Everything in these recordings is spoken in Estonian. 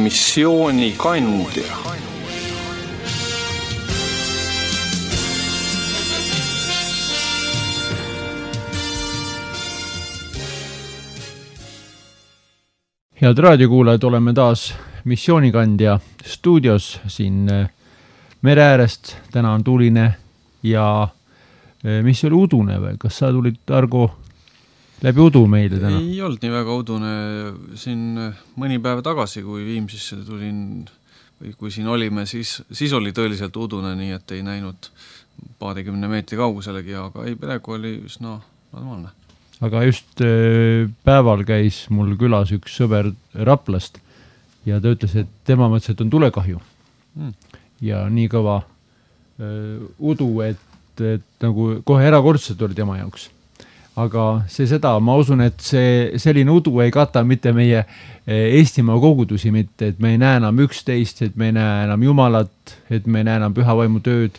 Missioonikandja. Head raadiokuulajad, oleme taas Missioonikandja stuudios siin mere äärest. Täna on tuuline ja mis oli udune või? Kas sa tulid, Argo, läbi udu meile täna? Ei olnud nii väga udune. Siin mõni päev tagasi, kui Viimsisse tulin või kui siin olime, siis oli tõeliselt udune, nii et ei näinud paarikümne meetri kauguselegi, aga ei, praegu oli üsna normaalne. Aga just päeval käis mul külas üks sõber Raplast ja ta ütles, et tema mõtles, et on tulekahju. Ja nii kõva udu, et nagu kohe erakordselt oli tema jaoks. Aga seda, ma usun, et selline udu ei kata mitte meie Eestimaa kogudusi mitte, et me ei näe enam üksteist, et me ei näe enam Jumalat, et me ei näe enam püha vaimu tööd,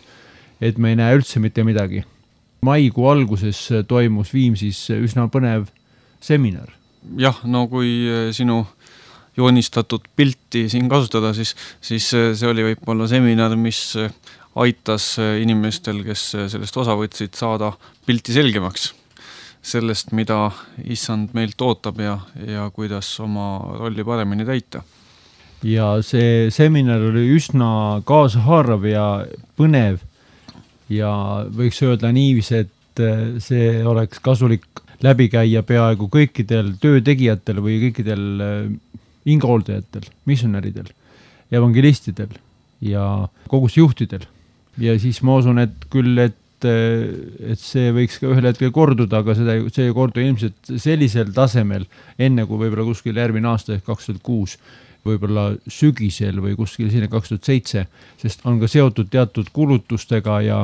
et me ei näe üldse mitte midagi. Maikuu alguses toimus Viimsis üsna põnev seminar. Jah, no kui sinu joonistatud pilti siin kasutada, siis see oli võib-olla seminar, mis aitas inimestel, kes sellest osa võtsid, saada pilti selgemaks sellest, mida issand meilt ootab ja kuidas oma rolli paremini täita. Ja see seminar oli üsna kaasahaarav ja põnev ja võiks öelda niivis, et see oleks kasulik läbi käia peaaegu kõikidel töötegijatel või kõikidel ingahooldajatel, missionäridel, evangelistidel ja kogusjuhtidel. Ja siis ma usun, et küll, et see võiks ka ühel hetkel korduda, aga see ei kordu ilmselt sellisel tasemel, enne kui võib-olla kuskil järgmine aasta ehk 2006, võib-olla sügisel või kuskil sinna 2007, sest on ka seotud teatud kulutustega ja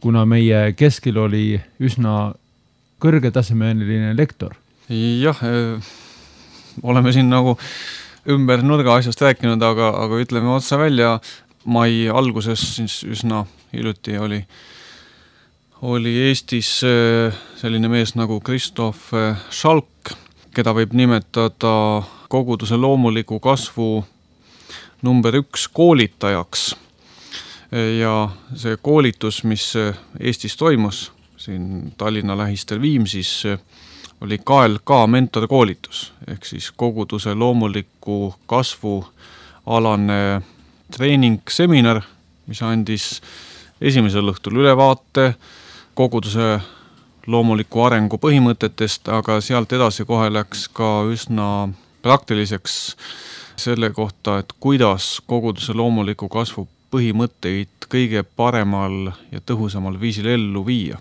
kuna meie keskel oli üsna kõrgetasemeline lektor. Jah, oleme siin nagu ümber nurga asjast rääkinud, aga ütleme otsa välja, mai alguses siis üsna hiljuti oli Eestis selline mees nagu Kristof Schalk, keda võib nimetada koguduse loomuliku kasvu number 1 koolitajaks. Ja see koolitus, mis Eestis toimus, siin Tallinna lähistel Viimsis, oli KLK mentorkoolitus, ehk siis koguduse loomuliku kasvu alane treening-seminar, mis andis esimesel õhtul ülevaate koguduse loomuliku arengu põhimõtetest, aga sealt edasi kohe läks ka üsna praktiliseks selle kohta, et kuidas koguduse loomuliku kasvu põhimõtteid kõige paremal ja tõhusamal viisil ellu viia.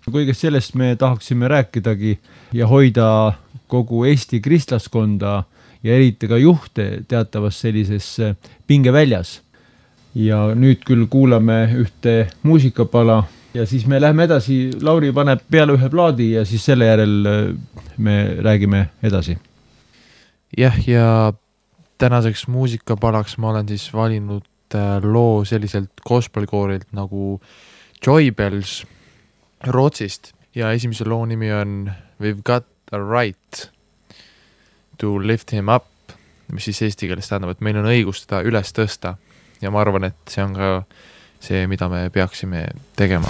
Kõigest sellest me tahaksime rääkidagi ja hoida kogu Eesti kristlaskonda ja eriti ka juhte teatavas sellises pingeväljas. Ja nüüd küll kuulame ühte muusikapala ja siis me läheme edasi. Lauri paneb peale ühe plaadi ja siis selle järel me räägime edasi. Jah, ja tänaseks muusikapalaks ma olen siis valinud loo selliselt gospelkoorilt nagu Joy Bells Rootsist ja esimese loo nimi on We've Got a Right to Lift Him Up, mis siis eesti keeles tähendab, et meil on õigus teda üles tõsta ja ma arvan, et see on ka see, mida me peaksime tegema.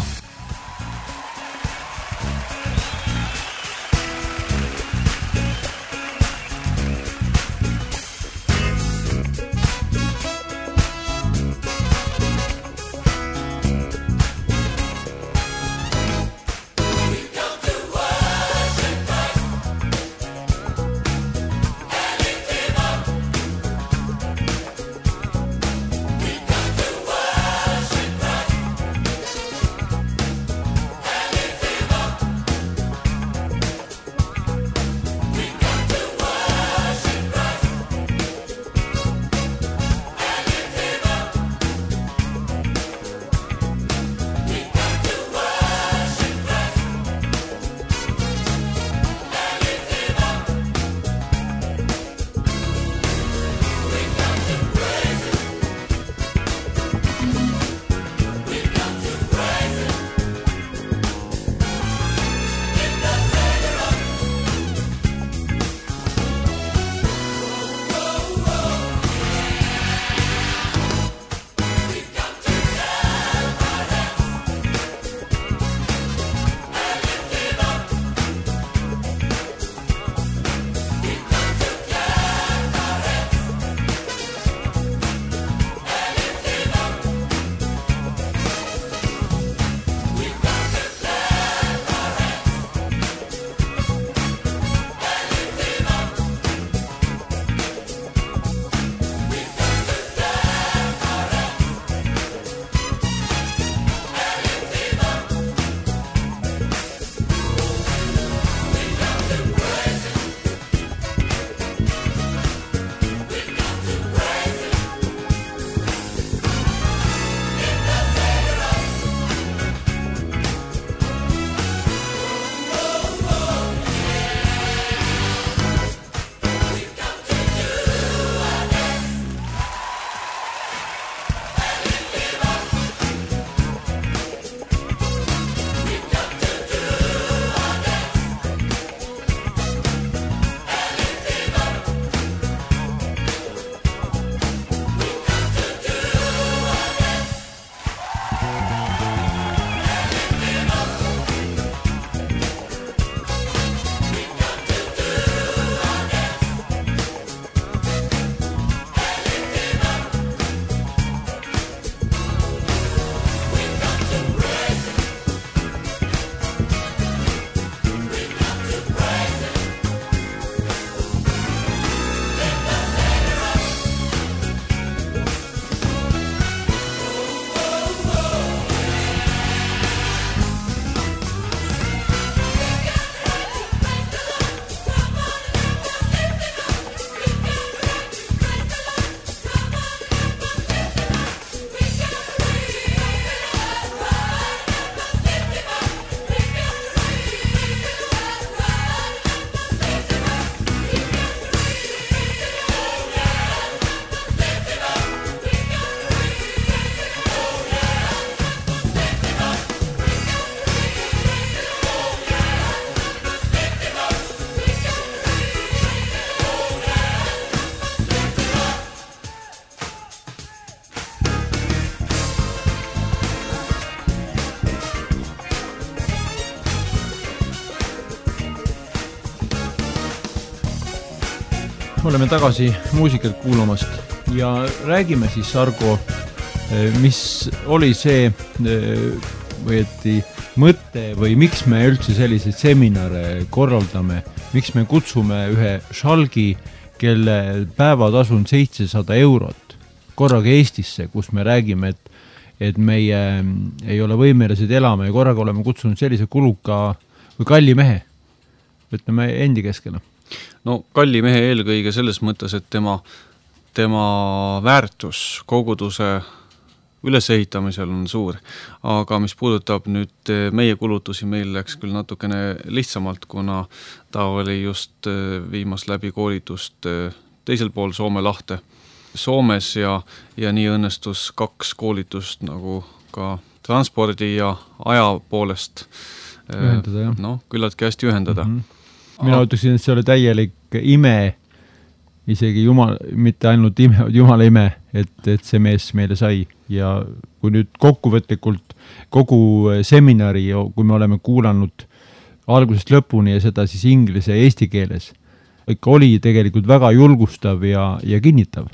oleme tagasi muusikat kuulamast ja räägime siis, Argo, mis oli see võeti mõte või miks me üldse selliseid seminare korraldame, miks me kutsume ühe šalgi, kelle päevatasu on 700 eurot korraga Eestisse, kus me räägime, et meie ei ole võimelised elama ja korraga oleme kutsunud sellise kuluka või kalli mehe, ütleme endi keskele. No kalli mehe eelkõige selles mõttes, et tema väärtus koguduse ülesehitamisel on suur, aga mis puudutab nüüd meie kulutusi, meil läks küll natukene lihtsamalt, kuna ta oli just viimas läbi koolitust teisel pool Soome lahte Soomes ja nii õnnestus 2 koolitust nagu ka transpordi ja aja poolest ühendada, jah. Küllaltki hästi ühendada. Mina ütleksin, et see oli täielik ime, isegi mitte ainult Jumala ime, et see mees meile sai ja kui nüüd kokkuvõtlikult kogu seminari, kui me oleme kuulanud algusest lõpuni ja seda siis inglise ja eesti keeles, ikka oli tegelikult väga julgustav ja kinnitav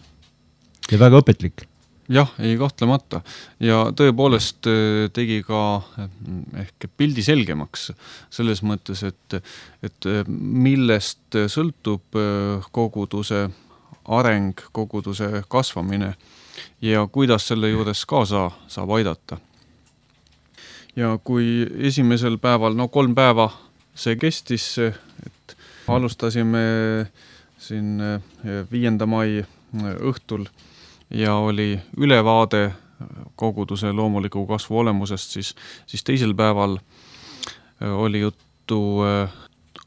ja väga õpetlik. Jah, ei kahtlemata ja tõepoolest tegi ka ehk pildi selgemaks selles mõttes, et millest sõltub koguduse areng, koguduse kasvamine ja kuidas selle juures kaasa saab aidata. Ja kui esimesel päeval, 3 päeva see kestis, et alustasime siin 5. mai õhtul ja oli ülevaade koguduse loomuliku kasvu olemusest, siis teisel päeval oli juttu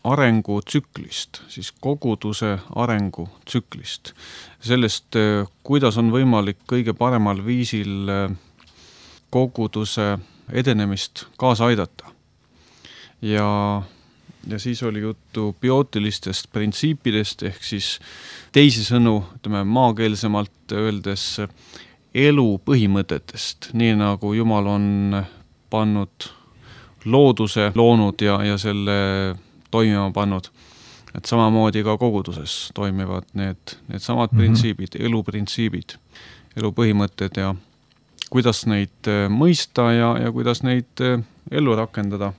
arengutsüklist, siis koguduse arengutsüklist. Sellest, kuidas on võimalik kõige paremal viisil koguduse edenemist kaasa aidata. Ja siis oli juttu biootilistest printsiipidest, ehk siis teisisõnu, maakeelsemalt öeldes elu põhimõtetest, nii nagu Jumal on pannud looduse, loonud ja selle toimima pannud. Et samamoodi ka koguduses toimivad need samad printsiibid, eluprintsiibid, elupõhimõtted ja kuidas neid mõista ja kuidas neid ellu rakendada.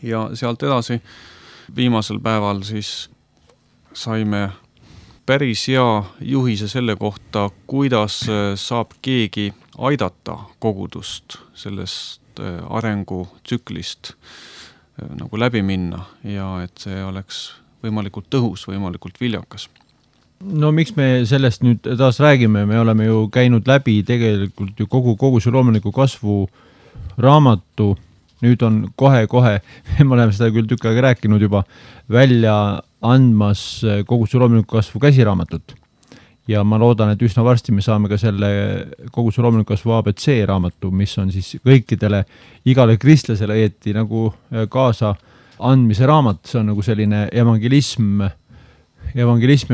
Ja sealt edasi viimasel päeval siis saime päris hea juhise selle kohta, kuidas saab keegi aidata kogudust sellest arengutsüklist nagu läbi minna ja et see oleks võimalikult tõhus, võimalikult viljakas. No miks me sellest nüüd taas räägime, me oleme ju käinud läbi tegelikult ju kogu see loomuliku kasvu raamatu. Nüüd on kohe, me oleme seda küll tükk aega rääkinud juba, välja andmas koguduse loomuliku kasvu käsiraamatut. Ja ma loodan, et üsna varsti me saame ka selle koguduse loomuliku kasvu ABC raamatu, mis on siis kõikidele, igale kristlasele õieti nagu kaasa andmise raamat. See on nagu selline evangelism ja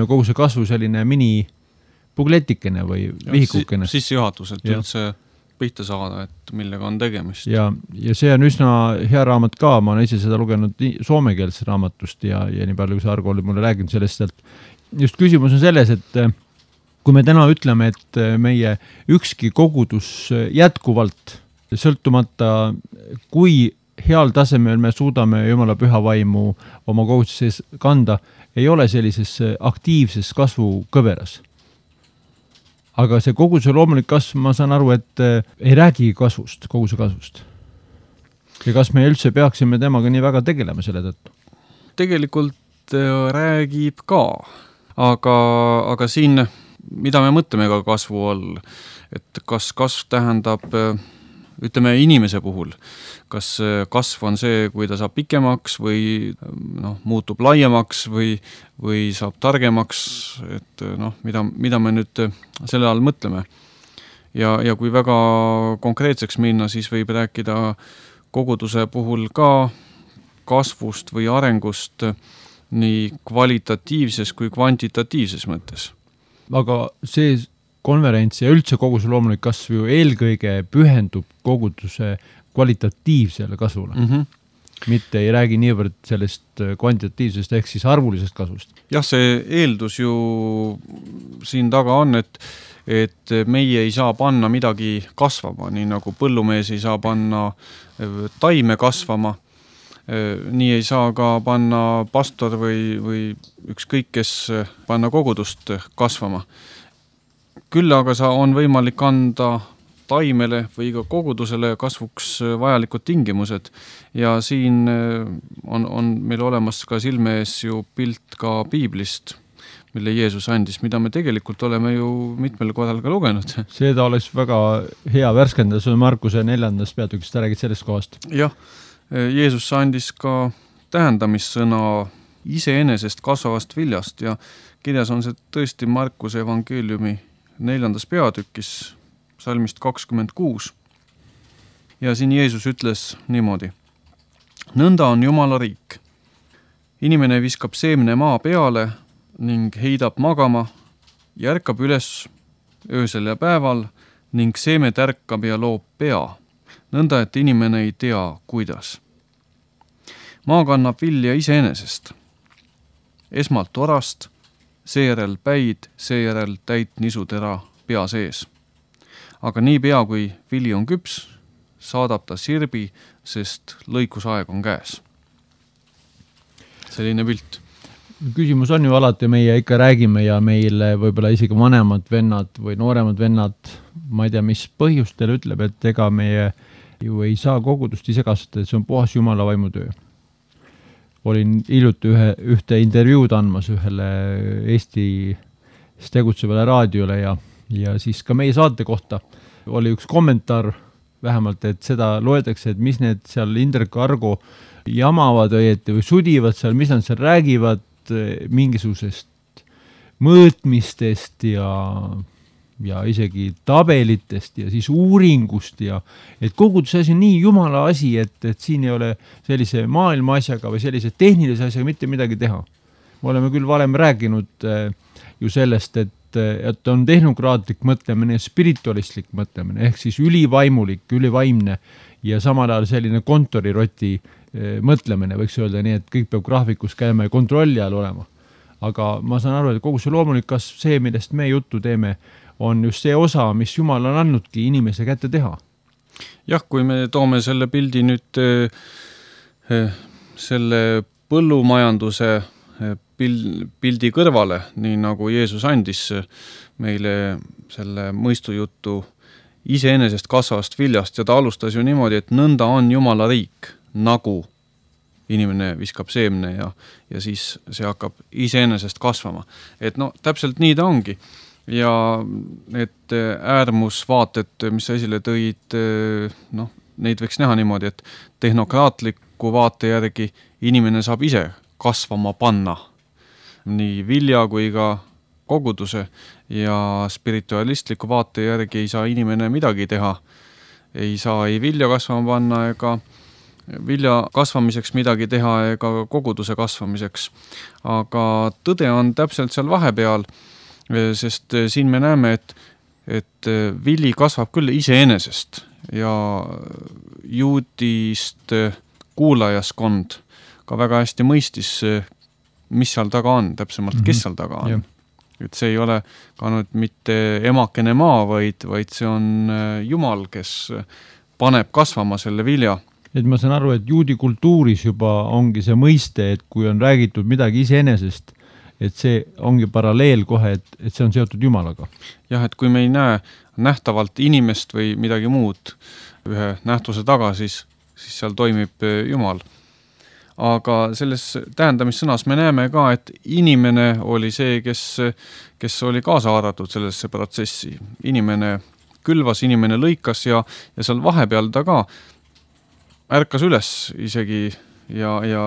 koguduse kasvu selline mini-pugletikene või vihikukene. Sissejuhatus, et üldse pihta saada, et millega on tegemist. Ja see on üsna hea raamat ka, ma olen ise seda lugenud soomekeelsest raamatust ja nii palju, kui see Argo oli mulle rääginud sellest, et just küsimus on selles, et kui me täna ütleme, et meie ükski kogudus jätkuvalt sõltumata, kui heal tasemel me suudame Jumala püha vaimu oma koguduses kanda, ei ole sellises aktiivses kasvu kõveras. Aga see koguduse loomulik kasv, ma saan aru, et ei räägi kasvust, koguduse kasvust. Ja kas me üldse peaksime temaga nii väga tegelema selle tõttu? Tegelikult räägib ka, aga siin, mida me mõtleme ka kasvu all, et kas kasv tähendab, ütleme inimese puhul, kas kasv on see, kui ta saab pikemaks või muutub laiemaks või saab targemaks, et mida me nüüd selle all mõtleme. Ja kui väga konkreetseks minna, siis võib rääkida koguduse puhul ka kasvust või arengust nii kvalitatiivses kui kvantitatiivses mõttes. Aga see konverents ja üldse koguduse loomulik kasv ju eelkõige pühendub koguduse kvalitatiivsele kasvule. mitte ei räägi niivõrd sellest kvantitatiivsest ehk siis arvulisest kasvust. Jah, see eeldus ju siin taga on, et meie ei saa panna midagi kasvama, nii nagu põllumees ei saa panna taime kasvama, nii ei saa ka panna pastor või ükskõik kes panna kogudust kasvama. Küll aga on võimalik anda taimele või ka kogudusele kasvuks vajalikud tingimused ja siin on meil olemas ka silme ees ju pilt ka piiblist, mille Jeesus andis, mida me tegelikult oleme ju mitmel korral ka lugenud. Seda oleks väga hea värskendada, see on Markuse 4. peatükist, ta räägid sellest kohast. Jah, Jeesus andis ka tähendamissõna iseenesest kasvavast viljast ja kirjas on see tõesti Markuse evangeeliumi 4. peatükis salmist 26. Ja siin Jeesus ütles niimoodi. Nõnda on Jumala riik. Inimene viskab seemne maa peale ning heidab magama, järkab üles öösel ja päeval ning seeme tärkab ja loob pea. Nõnda, et inimene ei tea, kuidas. Maa kannab vilja iseenesest. Esmalt orast, seejärel päid, seejärel täit nisutera pea sees. Aga nii pea, kui vili on küps, saadab ta sirbi, sest lõikusaeg on käes. Selline pilt. Küsimus on ju alati, meie ikka räägime ja meile võib-olla isegi vanemad vennad või nooremad vennad, ma ei tea, mis põhjustel ütleb, et ega meie ju ei saa kogudust ise kasvatada, et see on puhas Jumala vaimutöö. Olin hiljuti ühte intervjuud andmas ühele Eestis tegutsevale raadiole ja siis ka meie saate kohta oli üks kommentaar vähemalt, et seda loetakse, et mis need seal Indrek Argo jamavad või sudivad seal, mis nad seal räägivad mingisugusest mõõtmistest ja isegi tabelitest ja siis uuringust ja et koguduse asi on nii Jumala asi, et siin ei ole sellise maailma asjaga või sellise tehnilise asjaga mitte midagi teha. Me oleme küll varem rääkinud ju sellest, et on tehnokraatlik mõtlemine ja spiritualistlik mõtlemine, ehk siis ülivaimulik, ülivaimne ja samal ajal selline kontoriroti mõtlemine, võiks öelda nii, et kõik peab graafikus käima ja kontrolli all olema. Aga ma saan aru, et kogu see loomulik kasv, see, millest me juttu teeme, on just see osa, mis Jumal on andnudki inimese kätte teha. Jah, kui me toome selle pildi nüüd selle põllumajanduse pildi kõrvale, nii nagu Jeesus andis meile selle mõistujuttu iseenesest kasvavast viljast ja ta alustas ju niimoodi, et nõnda on Jumala riik, nagu inimene viskab seemne ja siis see hakkab iseenesest kasvama. Et no täpselt nii ta ongi. Ja need äärmusvaated, mis esile tõid, neid võiks näha niimoodi, et tehnokraatliku vaate järgi inimene saab ise kasvama panna nii vilja kui ka koguduse ja spiritualistliku vaate järgi ei saa inimene midagi teha. Ei saa ei vilja kasvama panna ega vilja kasvamiseks midagi teha ega koguduse kasvamiseks. Aga tõde on täpselt seal vahepeal, sest siin me näeme, et vili kasvab küll iseenesest ja juudist kuulajaskond ka väga hästi mõistis, mis seal taga on, täpsemalt, kes seal taga on. Ja. Et see ei ole ka nüüd mitte emakene maa, vaid see on Jumal, kes paneb kasvama selle vilja. Et ma saan aru, et juudi kultuuris juba ongi see mõiste, et kui on räägitud midagi iseenesest, et see ongi paralleel kohe, et see on seotud Jumalaga. Jah, et kui me ei näe nähtavalt inimest või midagi muud ühe nähtuse taga, siis seal toimib Jumal. Aga selles tähendamissõnas me näeme ka, et inimene oli see, kes oli kaasa haaratud sellesse protsessi. Inimene külvas, inimene lõikas ja seal vahepeal ta ka ärkas üles isegi ja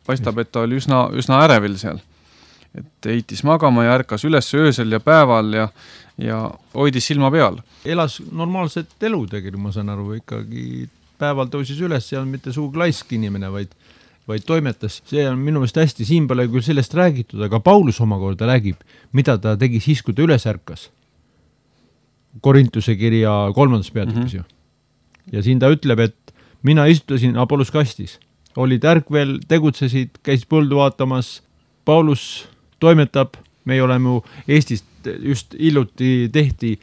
paistab, et ta oli üsna ärevil seal. Et heitis magama ja ärkas üles öösel ja päeval ja hoidis silma peal. Elas normaalset elu tegelikult, ma saan aru, ikkagi päeval tõusis üles ja on mitte suug laisk inimene, vaid toimetas. See on minu meelest hästi, siin pole küll sellest räägitud, aga Paulus omakorda räägib, mida ta tegi siis, kui ta üles ärkas. Korintuse kirja 3. peatükis ju. Ja siin ta ütleb, et mina istutasin Apollos kastis. olid ärkvel, tegutsesid, käis põldu vaatamas, Paulus toimetab, me oleme Eestist just hiljuti tehti,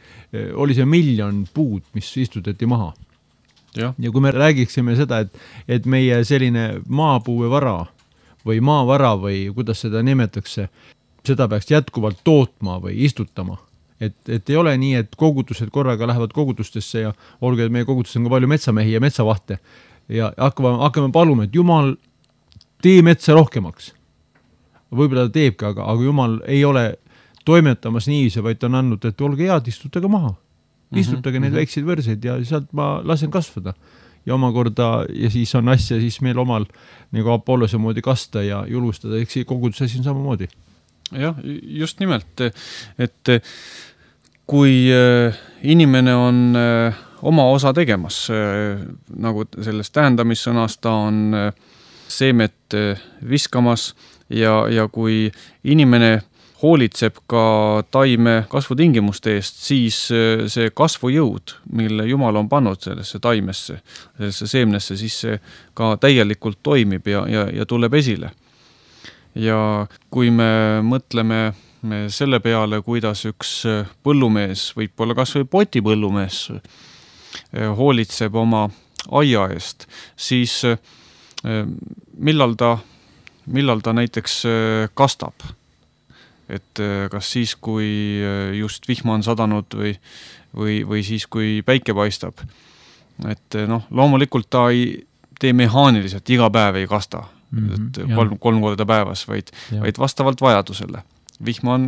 oli see 1 miljon puud, mis istutati maha. Ja. Ja kui me räägiksime seda, et meie selline maapuuvevara või maavara või kuidas seda nimetakse, seda peaks jätkuvalt tootma või istutama. Et ei ole nii, et kogutused korraga lähevad kogutustesse ja olgu, et meie kogutused on ka palju metsamehi ja metsavahte ja hakkame paluma, et Jumal, tee metsa rohkemaks. Võib-olla ta teebki, aga Jumal ei ole toimetamas niiviisi, vaid ta on andnud, et olge head, istutage maha. Istutage neid väikseid võrseid ja sealt ma lasen kasvada. Ja omakorda, ja siis on asja siis meil omal nagu Apollose moodi kasta ja julgustada, eks koguduse siin samamoodi. Jah, just nimelt, et kui inimene on oma osa tegemas, nagu sellest tähendamissõnas, ta on seemet viskamas ja kui inimene hoolitseb ka taime kasvutingimuste eest, siis see kasvujõud, mille Jumal on pannud sellesse taimesse, sellesse seemnesse, siis see ka täielikult toimib ja tuleb esile. Ja kui me mõtleme selle peale, kuidas üks põllumees, võib-olla kas või potipõllumees hoolitseb oma aia eest, siis millal ta näiteks kastab? Et kas siis, kui just vihma on sadanud või siis, kui päike paistab. Et loomulikult ta ei tee mehaaniliselt, iga päev ei kasta, kolm korda päevas, vaid vastavalt vajadusele. Vihma on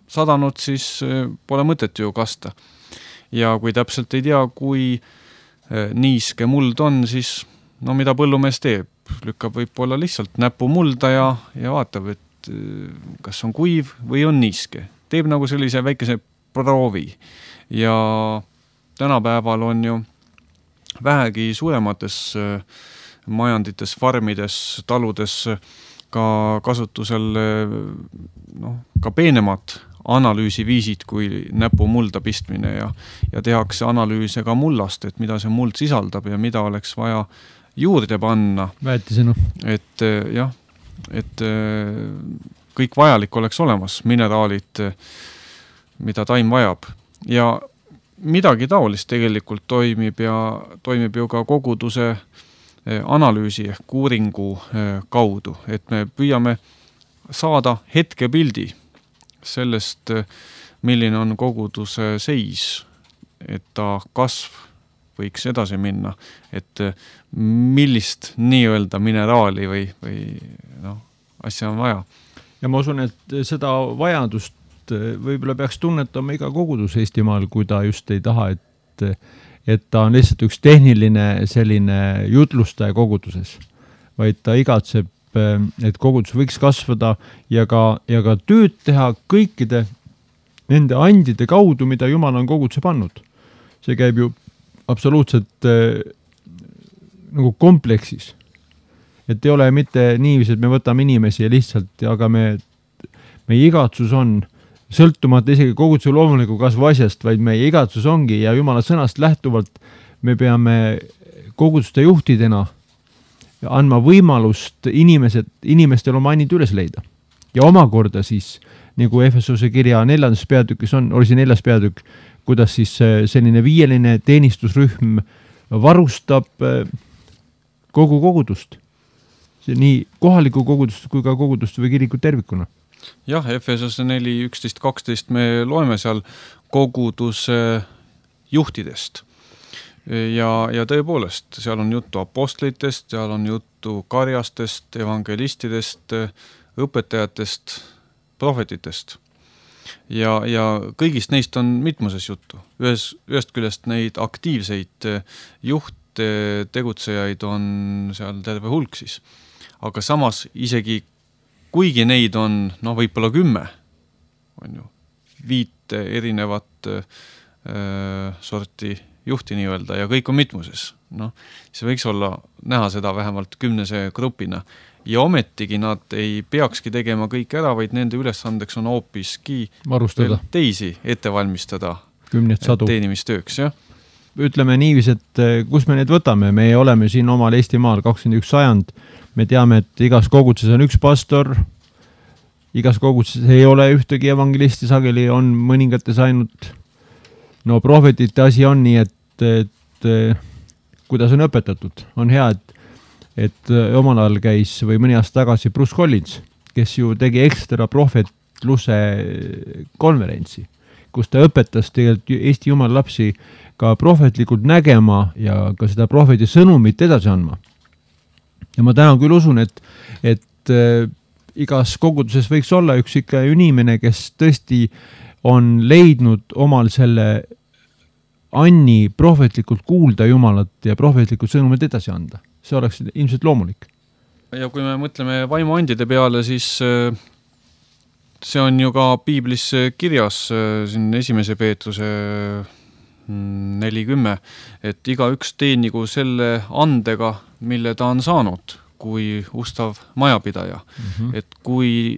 sadanud, siis pole mõtet ju kasta. Ja kui täpselt ei tea, kui niiske muld on, siis mida põllumees teeb? Lükkab võib-olla lihtsalt näpu mulda ja vaatab, et kas on kuiv või on niiske. Teeb nagu sellise väikese proovi. Ja tänapäeval on ju vähegi suuremates majandites, farmides, taludes ka kasutusel ka peenemad analüüsiviisid kui näpu mulda pistmine ja tehakse analüüse ka mullast, et mida see muld sisaldab ja mida oleks vaja juurde panna. Väetisena. Et kõik vajalik oleks olemas, mineraalid, mida taim vajab. Ja midagi taolist tegelikult toimib ju ka koguduse analüüsi ehk uuringu kaudu, et me püüame saada hetkepildi sellest, milline on koguduse seis, et ta kasv võiks edasi minna, et millist nii-öelda mineraali või asja on vaja. Ja ma usun, et seda vajadust võib-olla peaks tunnetama iga kogudus Eestimaal, kui ta just ei taha, et ta on lihtsalt üks tehniline selline jutlustaja koguduses, vaid ta igatseb, et kogudus võiks kasvada ja ka tööd teha kõikide nende andide kaudu, mida Jumal on koguduse pannud. See käib ju absoluutselt nagu kompleksis. Et ei ole mitte niiviisi, et me võtame inimesi ja lihtsalt, aga meie igatsus on sõltumata isegi koguduse loomuliku kasvu asjast, vaid meie igatsus ongi ja Jumala sõnast lähtuvalt me peame koguduste juhtidena andma võimalust inimestel oma annid üles leida. Ja omakorda siis, nagu Efesose kirja 4. peatükis oli see 4. peatükk, kuidas siis selline 5 teenistusrühm varustab kogu kogudust. Nii kohaliku kogudust kui ka kogudust või kirikut tervikuna. Jah, Efesose 4, 11, 12 me loeme seal koguduse juhtidest. Ja tõepoolest, seal on juttu apostlitest, seal on juttu karjastest, evangelistidest, õpetajatest, prohvetitest. Ja kõigist neist on mitmuses juttu. Ühest küljest neid aktiivseid juhte, tegutsejaid on seal terve hulk siis. Aga samas isegi kuigi neid on võib-olla 10, on ju 5 erinevat sorti juhti nii-öelda ja kõik on mitmuses. See võiks olla näha seda vähemalt 10 grupina. Ja ometigi nad ei peakski tegema kõik ära, vaid nende ülesandeks on hoopiski varustada teisi ette valmistada teenimisttööks. Ja? ütleme niiviisi, et kus me need võtame, me oleme siin omal Eestimaal 21 sajand, me teame, et igas koguduses on üks pastor, igas koguduses ei ole ühtegi evangelisti, sageli on mõningates ainult, no prohvetite asi on nii, et kuidas on õpetatud, on hea, et omal ajal käis või mõni aasta tagasi Bruce Collins, kes ju tegi ekstra prohvetluse konverentsi, kus ta õpetas tegelikult Eesti Jumala lapsi ka prohvetlikult nägema ja ka seda prohveti sõnumit edasi andma. Ja ma täna küll usun, et igas koguduses võiks olla üks ikka inimene, kes tõesti on leidnud omal selle anni prohvetlikult kuulda Jumalat ja prohvetlikult sõnumit edasi anda. See oleks ilmselt loomulik. Ja kui me mõtleme vaimuandide peale, siis see on ju ka piiblis kirjas siin 1. Peetruse 40, et igaüks teenigu selle andega, mille ta on saanud, kui ustav majapidaja. Et kui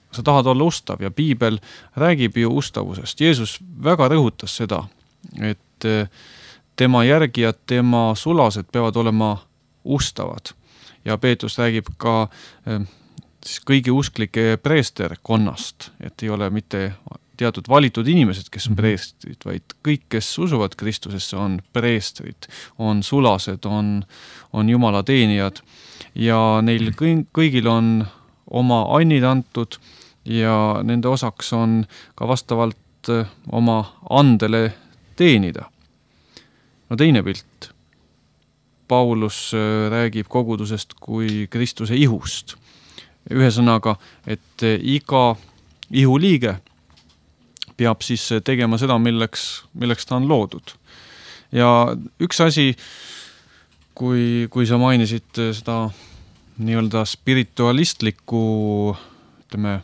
sa tahad olla ustav ja piibel räägib ju ustavusest. Jeesus väga rõhutas seda, et tema järgijad, tema sulased peavad olema ustavad. Ja Peetrus räägib ka kõigi usklike preesterkonnast, et ei ole mitte teatud valitud inimesed, kes on preestrid, vaid kõik, kes usuvad Kristusesse, on preestrid, on sulased, on Jumala teenijad ja neil kõigil on oma annid antud ja nende osaks on ka vastavalt oma andele teenida. No teine pilt. Paulus räägib kogudusest kui Kristuse ihust. Ühesõnaga, et iga ihuliige peab siis tegema seda, milleks ta on loodud. Ja üks asi, kui sa mainisid seda nii-öelda spiritualistlikku, ütleme,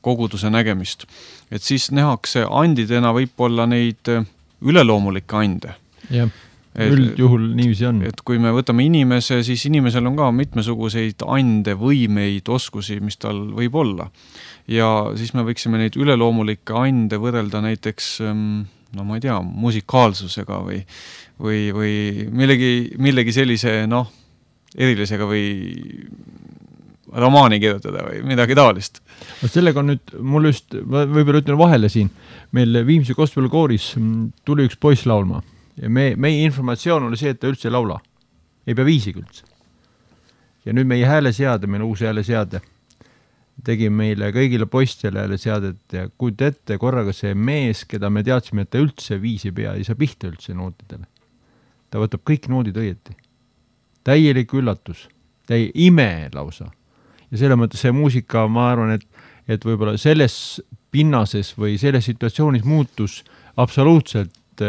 koguduse nägemist, et siis nähakse andidena võib-olla neid üleloomulikke ande. Jah, üldjuhul niiviisi on. Et kui me võtame inimese, siis inimesel on ka mitmesuguseid ande, võimeid, oskusi, mis tal võib olla. Ja siis me võiksime neid üleloomulikke ande võrrelda näiteks, no ma ei tea, musikaalsusega või millegi sellise, erilisega või romaani kirjutada või midagi taolist. Sellega on nüüd, mul just, võib-olla ütlen vahele siin, meil Viimsi gospelkooris tuli üks poiss laulma ja meie informatsioon oli see, et ta üldse ei laula. Ei pea viisiga üldse. Ja nüüd meie hääleseade, meil uus hääleseade, tegi meile kõigile poistele hääleseadet ja kuid ette korraga see mees, keda me teadsime, et ta üldse viisi pea, ei saa pihta üldse nootidele. Ta võtab kõik noodid õieti. Täielik üllatus, ime lausa. Ja selle mõttes see muusika, ma arvan, et võib-olla selles pinnases või selles situatsioonis muutus absoluutselt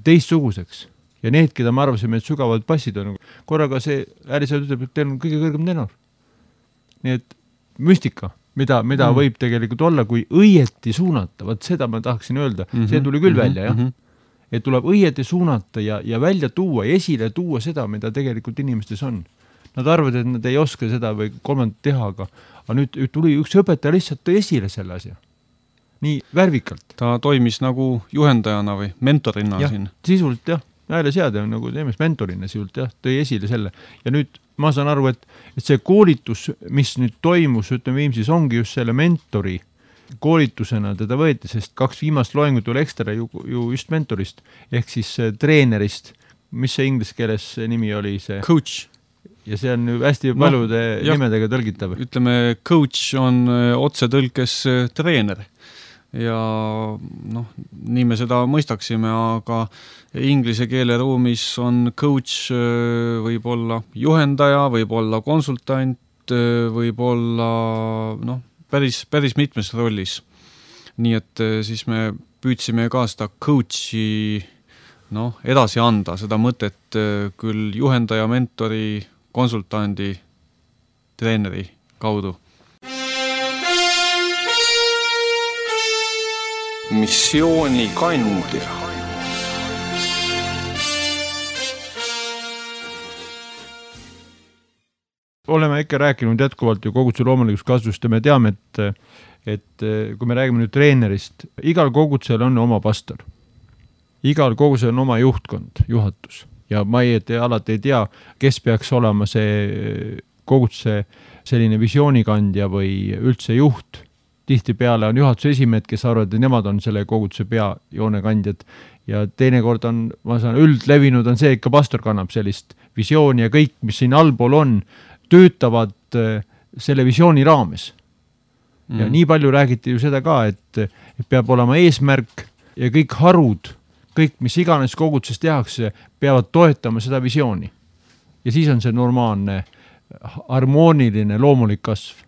teistsuguseks. Ja need, keda me arvasime, et sügavad passid on, korraga see häälesead ütleb, et teil on kõige kõrgem tenor. Nii et müstika, mida võib tegelikult olla, kui õieti suunata. Vaat seda ma tahaksin öelda. See tuli küll välja, jah. Et tuleb õieti suunata ja välja tuua, esile tuua seda, mida tegelikult inimestes on. Nad arvad, et nad ei oska seda või kolmandat teha, aga nüüd tuli üks õpetaja lihtsalt tõi esile selle asja. Nii värvikalt. Ta toimis nagu juhendajana või mentorina ja, siin. Sisuliselt jah, hääleseade on nagu teemes mentorina sisuliselt jah, tõi esile selle. Ja nüüd ma saan aru, et see koolitus, mis nüüd toimus, ütleme Viimsis, ongi just selle mentori koolitusena teda võeti, sest 2 viimast loengut tuli ekstra ju just mentorist, ehk siis treenerist, mis see inglise keeles nimi oli see? Coach. Ja see on hästi paljude nimedega tõlgitav. Ütleme, coach on otse tõlkes treener. Ja nii me seda mõistaksime, aga inglise keele ruumis on coach võib olla juhendaja, võib olla konsultant, võib olla päris mitmes rollis. Nii et siis me püüdsime ka seda coachi edasi anda, seda mõtet küll juhendaja, mentori, konsultandi, treeneri kaudu. Missioonikandja. Oleme ikka rääkinud jätkuvalt ju koguduse loomulikust kasvust ja me teame, et kui me räägime nüüd treenerist, igal kogudusel on oma pastor. igal kogusel on oma juhtkond, juhatus ja ma alati ei tea, kes peaks olema see koguduse selline visioonikandja või üldse juht. Tihtipeale on juhatuse esimehed, kes arvavad, et nemad on selle koguduse peajoonekandjad ja teinekord on, ma saan, üldlevinud on see, ikka pastor kannab sellist visiooni ja kõik, mis siin allpool on, töötavad selle visiooni raames. Ja nii palju räägiti ju seda ka, et peab olema eesmärk ja kõik harud, kõik, mis iganes koguduses tehakse, peavad toetama seda visiooni. Ja siis on see normaalne, harmooniline, loomulik kasv.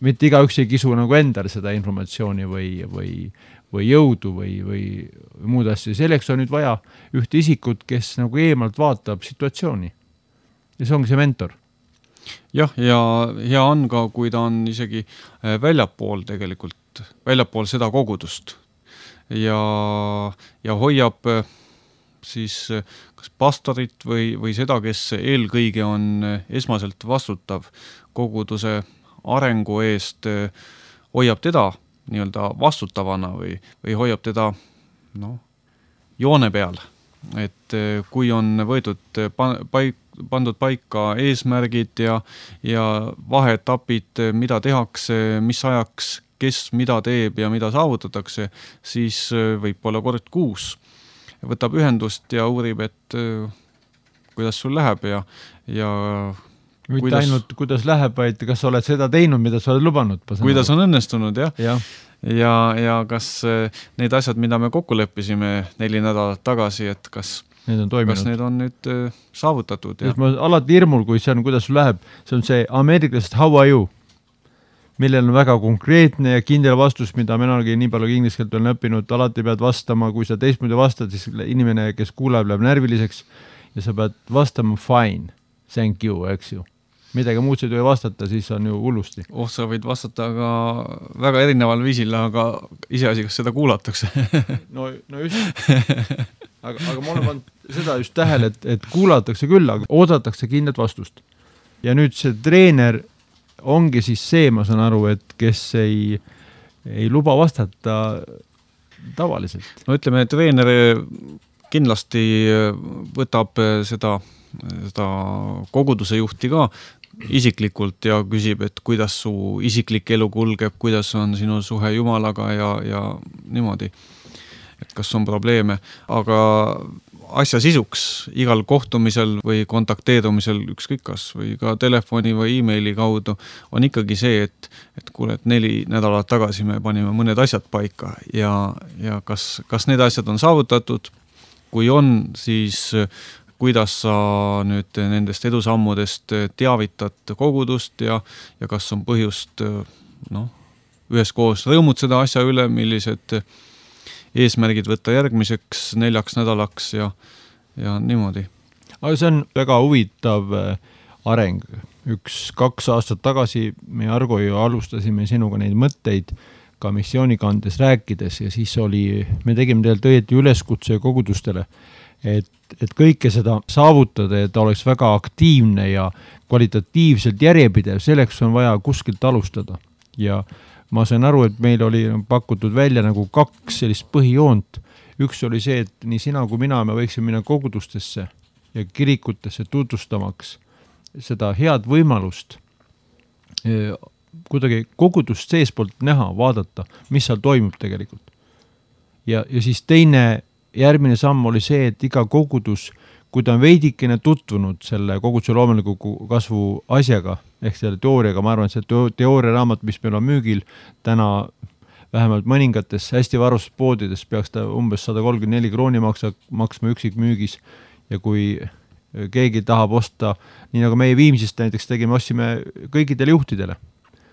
Mitte igaüks ei kisu nagu endale seda informatsiooni või jõudu või muud asja. Selleks on nüüd vaja ühte isikut, kes nagu eemalt vaatab situatsiooni. Ja see ongi see mentor. Jah, ja hea on ka, kui ta on isegi väljapool tegelikult, väljapool seda kogudust ja hoiab siis kas pastorit või seda, kes eelkõige on esmaselt vastutav koguduse arengu eest, hoiab teda nii-öelda vastutavana või hoiab teda joone peal. Et kui on võetud pandud paika eesmärgid ja vaheetapid, mida tehakse, mis ajaks, kes mida teeb ja mida saavutatakse, siis võib olla kord kuus. Võtab ühendust ja uurib, et kuidas sul läheb ja mitte ainult kuidas läheb, vaid kas sa oled seda teinud, mida sa oled lubanud. Kuidas on õnnestunud, jah. Ja kas need asjad, mida me kokku leppisime 4 nädalat tagasi, et kas need on nüüd saavutatud. Ja. Ma alati hirmul, kui see on, kuidas sul läheb, see on see ameeriklasest how are you, millel on väga konkreetne ja kindel vastus, mida minagi nii palju inglise keelt olen õppinud, alati pead vastama, kui sa teistmoodi vastad, siis inimene, kes kuuleb, läheb närviliseks ja sa pead vastama fine, thank you, eks ju. Midagi muud sa ei tohi vastata, siis on ju hullusti. Sa võid vastata ka väga erineval viisil, aga iseasi, kas seda kuulatakse. no just. Aga ma olen pannud seda just tähele, et kuulatakse küll, aga oodatakse kindlat vastust. Ja nüüd see treener ongi siis see, ma saan aru, et kes ei luba vastata tavaliselt. No ütleme, treener kindlasti võtab seda koguduse juhti ka isiklikult ja küsib, et kuidas su isiklik elu kulgeb, kuidas on sinu suhe Jumalaga ja niimoodi, et kas on probleeme, aga asja sisuks igal kohtumisel või kontakteerumisel ükskõik kas või ka telefoni või e-maili kaudu on ikkagi see, et kuule, et 4 nädalat tagasi me panime mõned asjad paika ja kas need asjad on saavutatud, kui on, siis kuidas sa nüüd nendest edusammudest teavitad kogudust ja kas on põhjust üheskoos rõõmutseda asja üle, millised eesmärgid võtta järgmiseks 4 nädalaks ja niimoodi. Aga see on väga huvitav areng. 1-2 aastat tagasi me Argo ju alustasime sinuga neid mõtteid ka missioonikandes rääkides ja siis me tegime tegelikult õieti üleskutse kogudustele, et kõike seda saavutada, et ta oleks väga aktiivne ja kvalitatiivselt järjepidev, selleks on vaja kuskilt alustada. Ja ma sain aru, et meil oli pakutud välja nagu 2 sellist põhijoont. Üks oli see, et nii sina kui mina me võiksime minna kogudustesse ja kirikutesse tutvustamaks seda head võimalust kuidagi kogudust seespoolt näha, vaadata, mis seal toimub tegelikult. Ja siis teine järgmine samm oli see, et iga kogudus, kui ta on veidikene tutvunud selle koguduse loomuliku kasvu asjaga, ehk selle teooriaga, ma arvan, et see teooriaraamat, mis meil on müügil täna vähemalt mõningates hästi varustatud poodides, peaks ta umbes 134 krooni maksma üksik müügis ja kui keegi tahab osta, nii nagu meie Viimsist näiteks tegime, ostsime kõikidele juhtidele,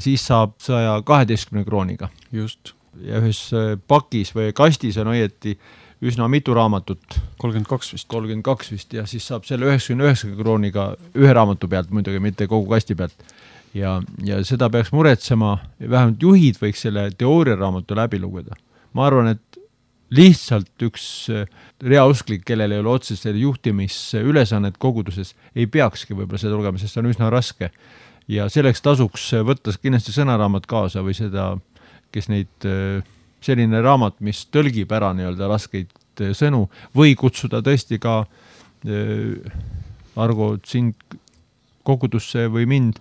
siis saab 112 krooniga. Just. Ja ühes pakis või kastis on õieti üsna mitu raamatut. 32 vist ja siis saab selle 99 krooniga ühe raamatu pealt, muidugi mitte kogu kasti pealt. Ja seda peaks muretsema, vähemalt juhid võiks selle teooriaraamatu läbi lugeda. Ma arvan, et lihtsalt üks reausklik, kellel ei ole otseselt juhtimisülesannet koguduses, ei peakski võib-olla seda lugema, sest see on üsna raske. Ja selleks tasuks võtta kindlasti sõnaraamat kaasa või seda, kes neid selline raamat, mis tõlgib ära nii-öelda raskeid sõnu või kutsuda tõesti ka Argo sind kogudusse või mind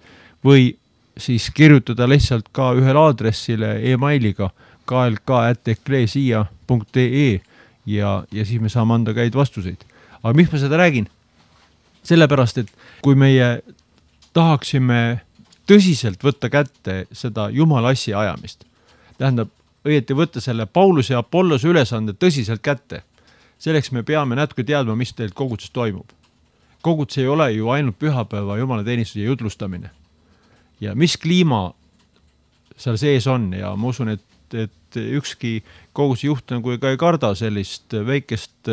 või siis kirjutada lihtsalt ka ühele aadressile e-mailiga klk@ecclesia.ee ja siis me saame anda käid vastuseid. Aga miks ma seda räägin? Sellepärast, et kui meie tahaksime tõsiselt võtta kätte seda Jumala asja ajamist, tähendab, õieti võtta selle Pauluse ja Apollose ülesande tõsiselt kätte, selleks me peame natuke teadma, mis teil koguduses toimub. Kogudus ei ole ju ainult pühapäeva Jumala teenistuse jutlustamine. Ja mis kliima seal sees on ja ma usun, et ükski koguduse juht nagu ei karda sellist väikest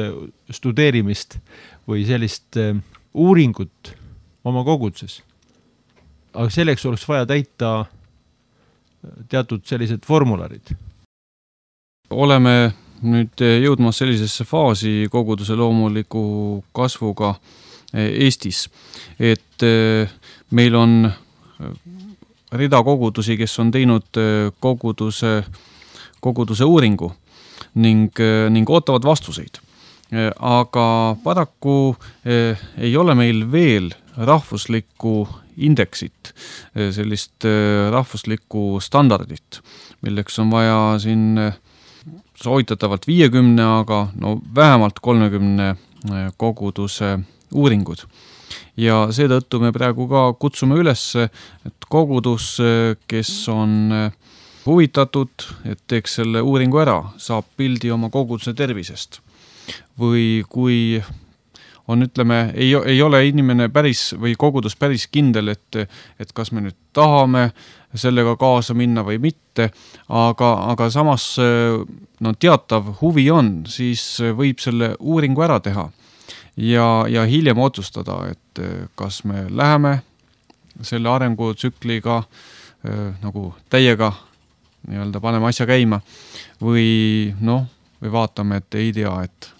studeerimist või sellist uuringut oma koguduses. Aga selleks oleks vaja täita teatud sellised formularid. Oleme nüüd jõudmas sellisesse faasi koguduse loomuliku kasvuga Eestis, et meil on rida kogudusi, kes on teinud koguduse uuringu ning ootavad vastuseid. Aga paraku ei ole meil veel rahvuslikku indeksit, sellist rahvuslikku standardit, milleks on vaja siin soovitatavalt 50, aga no vähemalt 30 koguduse uuringud. Ja seetõttu me praegu ka kutsume üles, et kogudus, kes on huvitatud, et teeks selle uuringu ära, saab pildi oma koguduse tervisest. Või kui on, ütleme, ei ole inimene päris või kogudus päris kindel, et kas me nüüd tahame sellega kaasa minna või mitte, aga samas no, teatav huvi on, siis võib selle uuringu ära teha ja hiljem otsustada, et kas me läheme selle arengutsükliga nagu täiega nii-öelda paneme asja käima või vaatame, et ei tea, et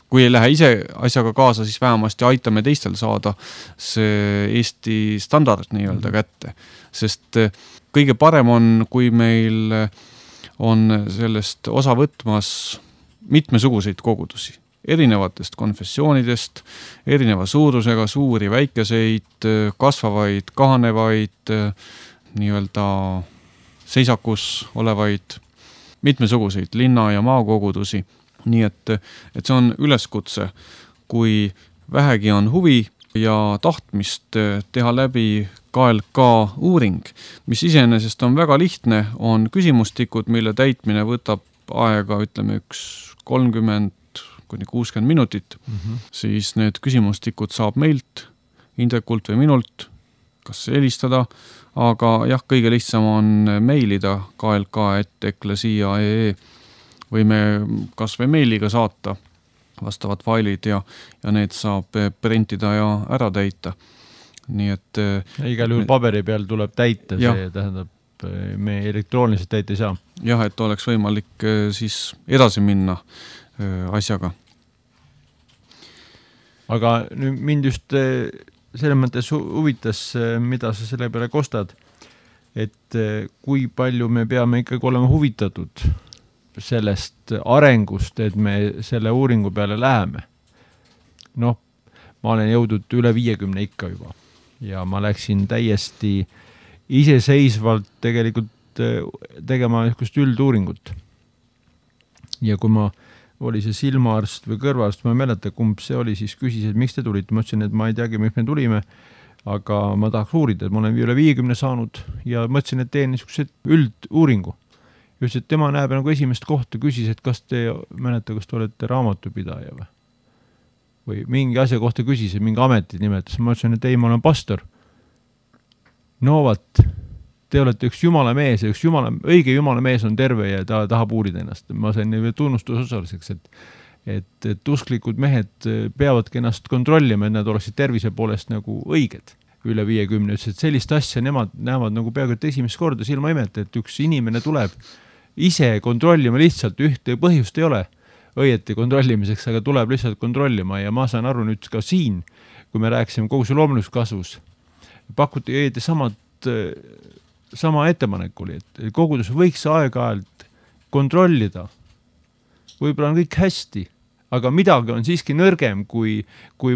kui ei lähe ise asjaga kaasa, siis vähemasti aitame teistel saada see Eesti standard nii-öelda kätte. Sest kõige parem on, kui meil on sellest osa võtmas mitmesuguseid kogudusi, erinevatest konfessioonidest, erineva suurusega, suuri, väikeseid, kasvavaid, kahanevaid, nii-öelda seisakus olevaid, mitmesuguseid linna- ja maakogudusi. Nii et see on üleskutse, kui vähegi on huvi ja tahtmist teha läbi KLK uuring, mis iseenesest on väga lihtne, on küsimustikud, mille täitmine võtab aega, ütleme, 30–60 minutit, siis need küsimustikud saab meilt, Indrekult või minult, kas helistada, aga jah, kõige lihtsam on meilida klk@ecclesia.ee või me kas või meiliga saata vastavad failid ja need saab printida ja ära täita. Nii et igal juhul paberi peal tuleb täita, see tähendab, me elektrooniliselt täita ei saa. Jah, et oleks võimalik siis edasi minna asjaga. Aga nüüd mind just selles mõttes huvitas, mida sa selle peale kostad, et kui palju me peame ikkagi olema huvitatud sellest arengust, et me selle uuringu peale läheme. Ma olen jõudnud üle 50 ikka juba ja ma läksin täiesti iseseisvalt tegelikult tegema niisugust ülduuringut. Ja kui ma oli see silmaarst või kõrvaarst, ma ei mäleta, kumb see oli, siis küsis, et miks te tulite. Ma ütlesin, et ma ei teagi, miks me tulime, aga ma tahaks uurida, et ma olen üle 50 saanud ja mõtlesin, et teen niisuguse ülduuringu. Ütles, et tema näeb nagu esimest kohta, küsis, et kas te mäleta, kas te olete raamatupidaja või mingi asja kohta küsis, et mingi ametit nimetas. Ma ütlesin, et ei, ma olen pastor. No vaat, te olete üks jumala mees ja õige jumala mees on terve ja ta tahab uurida ennast. Ma sain tunnustusosaliseks, et usklikud mehed peavadki ennast kontrollima, et nad oleksid tervise poolest nagu õiged. Üle 50, ütles, et sellist asja nemad näevad nagu peaaegu et esimest korda silma imeta, et üks inimene tuleb ise kontrollima lihtsalt, ühte põhjust ei ole õieti kontrollimiseks, aga tuleb lihtsalt kontrollima ja ma saan aru nüüd ka siin, kui me rääkisime koguduse loomulikus kasvus, pakuti õieti sama ettepanek oli, et kogudus võiks aeg-ajalt kontrollida võib-olla on kõik hästi, aga midagi on siiski nõrgem kui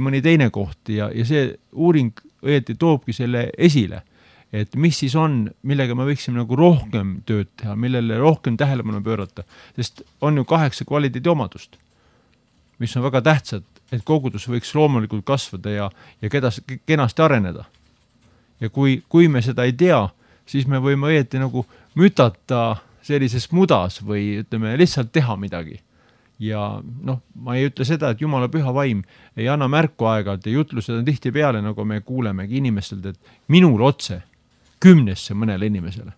mõni teine koht ja see uuring õieti toobki selle esile, et mis siis on, millega me võiksime nagu rohkem tööd teha, millele rohkem tähelepanu pöörata, sest on ju 8 kvaliteediomadust, mis on väga tähtsad, et kogudus võiks loomulikult kasvada ja kenasti areneda. Ja kui me seda ei tea, siis me võime õieti nagu mütata sellises mudas või ütleme lihtsalt teha midagi. Ja ma ei ütle seda, et Jumala püha vaim ei anna märku aegalt ja jutlused on tihti peale, nagu me kuulemegi inimestelt, et minul otse 10 mõnele inimesele.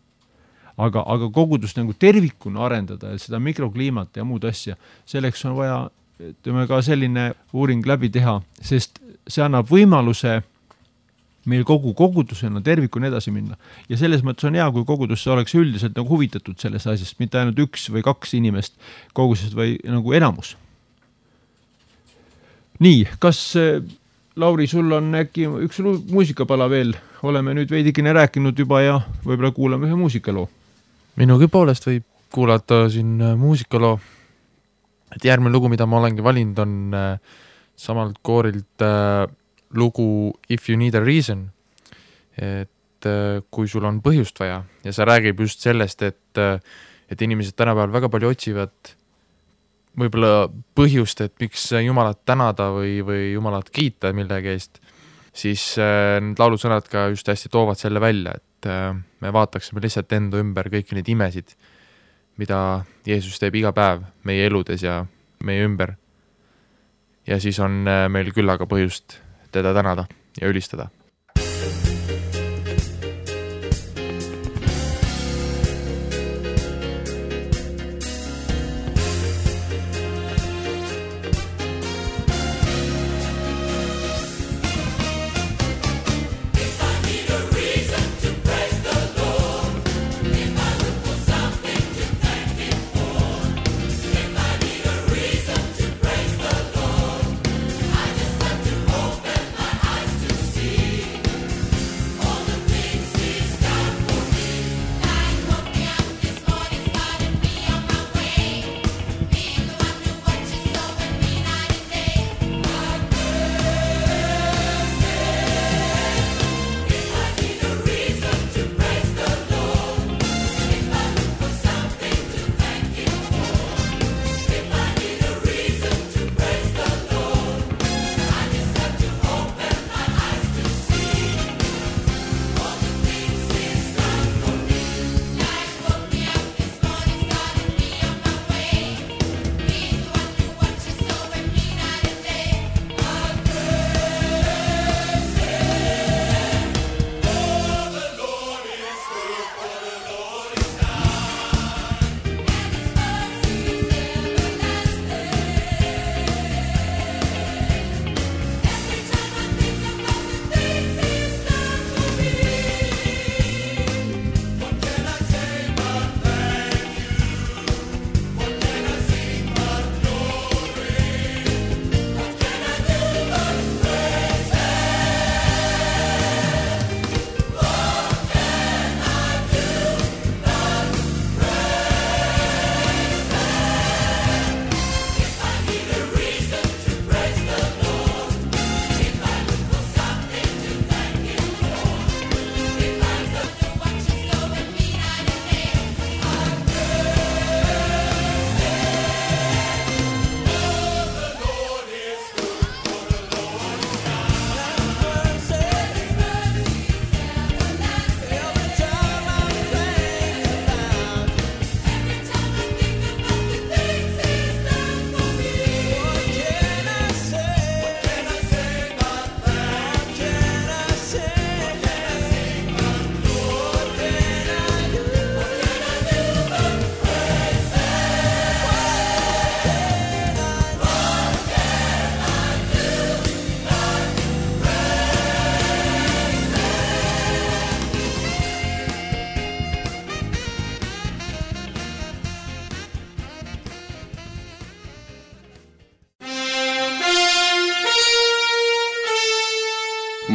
Aga kogudust nagu tervikuna arendada ja seda mikrokliimat ja muud asja, selleks on vaja ka selline uuring läbi teha, sest see annab võimaluse meil kogu kogudusena tervikuna edasi minna. Ja selles mõttes on hea, kui kogudusse oleks üldiselt nagu huvitatud sellest asjast, mitte ainult 1 või 2 inimest kogudusest või nagu enamus. Nii, kas Lauri, sul on äkki üks muusikapala veel? Oleme nüüd veidikene rääkinud juba ja võib-olla kuulame ühe muusikaloo. Minugi poolest võib kuulata siin muusikaloo. Et järgmine lugu, mida ma olengi valinud, on samalt koorilt lugu If You Need a Reason, et kui sul on põhjust vaja ja see räägib just sellest, et inimesed tänapäeval väga palju otsivad võib-olla põhjust, et miks Jumalat tänada või Jumalat kiita millegi eest, siis need laulusõnad ka just hästi toovad selle välja, et me vaataksime lihtsalt enda ümber kõiki neid imesid, mida Jeesus teeb iga päev meie eludes ja meie ümber. Ja siis on meil küllaga põhjust teda tänada ja ülistada.